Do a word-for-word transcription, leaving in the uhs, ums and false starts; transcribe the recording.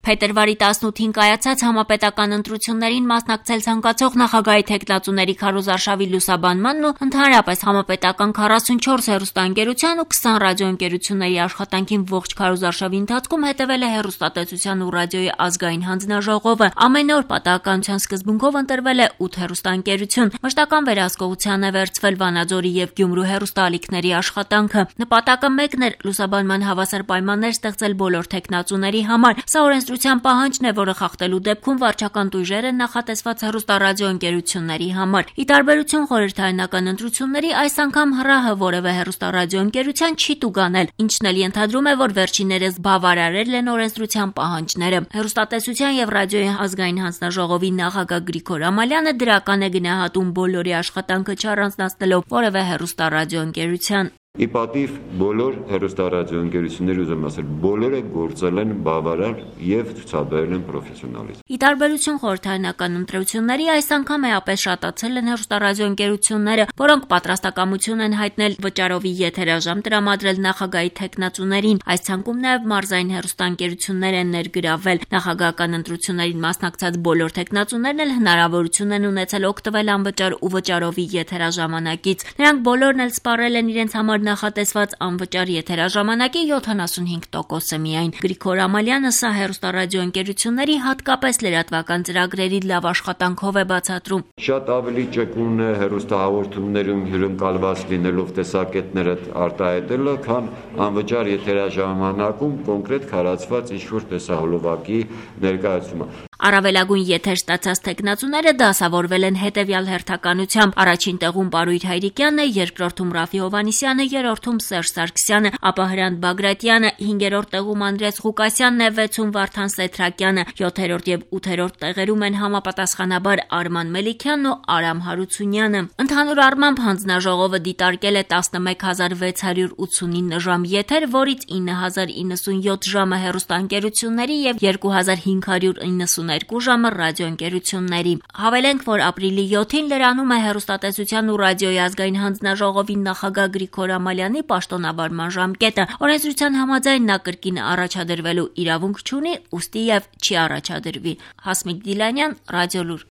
Փետրվարի տասնութին կայացած համապետական ընտրություններին մասնակցել ցանկացող նախագահի թեկնածուների քարոզարշավի լուսաբանմանն ու ընդհանրապես համապետական քառասունչորս հեռուստաընկերության ու քսան ռադիոընկերությունների աշխատանքին ողջ քարոզարշավի ընթացքում հետևել է Հեռուստատեսության ու ռադիոյի ազգային հանձնաժողովը։ Ամեն օր պատահականության սկզբունքով ընտրվել է ութ հեռուստաընկերություն։ Մշտական վերահսկողության է վերցվել Վանաձորի եւ Գյումրու հեռուստաալիքների աշխատանքը։ Նպատակը մեկն էր՝ լուսաբանման հավասար պայմաններ ստեղծել բոլոր թեկնածուների համար։ Սա օրենսդրության պահանջն է, որը խախտելու դեպքում վարչական տույժեր են նախատեսված հեռուստառադիոընկերությունների համար։ Ի տարբերություն խորհրդարանական ընտրությունների, այս անգամ ՀՌԱՀ որևէ հեռուստառադիոընկերության չի տուգանել, ինչն էլ ենթադրում է, որ վերջիններս բավարարել են օրենսդրության պահանջները։ Հեռուստատեսության եւ ռադիոյի ազգային հանձնաժողովի նախագահ Գրիգոր Ամալյանը դրական է գնահատում բոլորի աշխատանքը չառանձնացնելով որևէ հեռուստառադիոընկերության։ Ի պատիվ բոլոր հեռուստառադիոընկերությունների ուզում ասել, բոլորը գործել են բավարար եւ ցուցաբերել են պրոֆեսիոնալիզմ։ Ի տարբերություն խորհրդարանական ընտրությունների, այս անգամ էապես շատացել են հեռուստառադիոընկերությունները, որոնք պատրաստակամություն են հայտնել վճարովի եթերաժամ տրամադրել նախագահի թեկնածուներին։ Այս ցանկում նաեւ մարզային հեռուստաընկերություններ են ներգրավվել։ Նախագահական ընտրություններին մասնակցած բոլոր թեկնածուներն էլ հնարավորություն են ունեցել օգտվել անվճար ու վճարովի եթերաժամանակից։ Նրանք բոլորն էլ սպառել են իրենց համար նախատեսված անվճար եթերաժամանակի յոթանասունհինգ տոկոսը միայն։ Գրիգոր Ամալյանը սա հեռուստառադիոընկերությունների հատկապես լրատվական ծրագրերի լավ աշխատանքով է բացատրում։ Շատ ավելի ճկուն է հեռուստահաղորդումներում հյուրընկալված լինելով տեսակետները արտահայտելը, քան անվճար եթերաժամանակում կոնկրետ քարացված ինչ-որ տեսահոլովակի ներկայացումը։ Առավելագույն եթեր ստացած թեկնածուները դասավորվել են հետևյալ հերթականությամբ. առաջին տեղում Պարույր Հայրիկյանն է, երկրորդում Ռաֆի Հովհաննիսյանը, երրորդում Սերժ Սարգսյանը, ապա Հրանտ Բագրատյանը, հինգերորդ տեղում Անդրեաս Ղուկասյանն է, վեցում Վարդան Սեթրակյանը, յոթերորդ եւ ութերորդ տեղերում են համապատասխանաբար Արման Մելիքյանն ու Արամ Հարությունյանը։ Ընդհանուր առմամբ հանձնաժողովը դիտարկել է տասնմեկ հազար վեց հարյուր ութսունինը ժամ եթեր, որից ինը հազար իննսունյոթ ժամը հեռուստաընկերությունների եւ երկու հազար հինգ հարյուր իննսուներկու ժամը ռադիոընկերությունների։ Հավելենք, որ ապրիլի յոթին լրանում է Հեռուստատեսության ու ռադիոյի ազգային հանձնաժողովի նախագահ Գրիգոր Ամալյանի պաշտոնավարման ժամկետը։ Օրենսդրության համաձայն նա կրկին առաջադրվելու իրավունք չունի, ուստի եւ չի առաջադրվի։ Հասմիկ Դիլանյան, Ռադիոլուր։